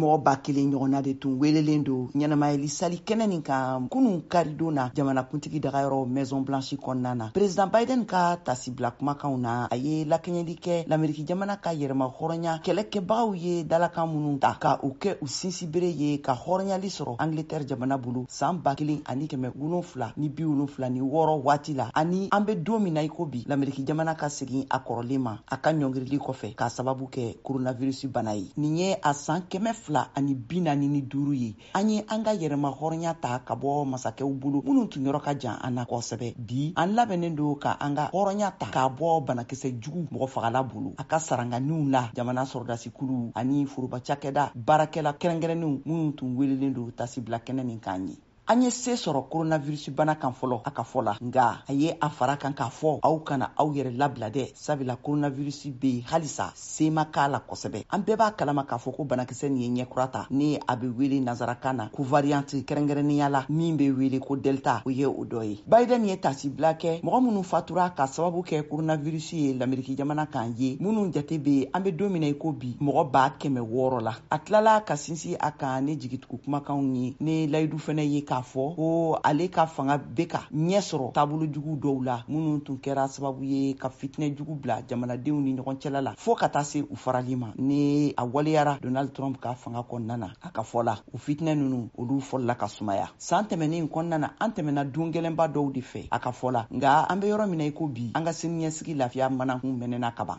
Mɔgɔ 1000 ɲɔgɔnna de tun welelen don ɲɛnamayali sali kɛnɛ nin kan kunun karidon na, jamanakuntigi dagayɔrɔ Maison Blanche kɔnɔna na. President Biden ka tasibila kumakanw na, a ye lakɛɲɛli kɛ Lameriki jamana ka yɛrɛma hɔrɔnya kɛlɛkɛbagaw ye dalakan minnu ta ka u kɛ u sinsinbere ye ka hɔrɔnyali sɔrɔ Angleterre jamana bolo san 1776 waati la, ani an bɛ don min na i ko bi, Lameriki jamana ka segin a kɔrɔlen ma a ka ɲɔngirili kɔfɛ k'a sababu kɛ coronavirus bana ye. Nin ye a san 245 ye an ye an ka yɛrɛma hɔrɔnya ta ka bɔ masakɛw bolo minnu tun yɔrɔ ka jan an na kosɛbɛ. Bi, an labɛnnen don ka an ka hɔrɔnya ta k'a bɔ banakisɛ jugu mɔgɔ fagala bolo. A ka saranganiw la, jamana sɔrɔdasikuluw ani foroba cakɛda baarakɛla kɛrɛnkɛrɛnnenw minnu tun welelen don tasibila kɛnɛ nin kan ye, an ye se sɔrɔ coronavirus bana kan fɔlɔ, a ka fɔ la. Nka a ye a fara kan k'a fɔ aw kana aw yɛrɛ labila dɛ, sabula coronavirus bɛ yen halisa, se ma k'a la kosɛbɛ. An bɛɛ b'a kalama k'a fɔ ko banakisɛ nin ye ɲɛkura ta ni a bɛ wele nansarakan na ko variante, kɛrɛnkɛrɛnnenya la min bɛ wele ko Delta, o ye o dɔ ye. Biden ye tasibila kɛ mɔgɔ minnu fatura ka sababu kɛ coronavirus ye Lameriki jamana kan ye, minnu jate bɛ an bɛ don min na i ko bi mɔgɔ 600 000 la. A tilala ka sinsin a kan ni jigitugu kumakanw ye ni layidu fɛnɛ ye k'a fɔ ko ale ka fanga bɛ ka ɲɛ sɔrɔ taabolo jugu dɔw la minnu tun kɛra sababu ye ka fitinɛ jugu bila jamanadenw ni ɲɔgɔn cɛla la fɔɔ ka taa se u farali ma, ni a waleyara Donald Trump ka fanga kɔnɔna na. A ka fɔ la, o fitinɛ ninnu, olu fɔlɔla ka sumaya san tɛmɛnen kɔnɔna na. An tɛmɛna don gɛlɛnba dɔw de fɛ, a ka fɔ la, nka an bɛ yɔrɔ min na i ko bi, an ka siniɲɛsigi lafiya manakun mɛnɛna kaban.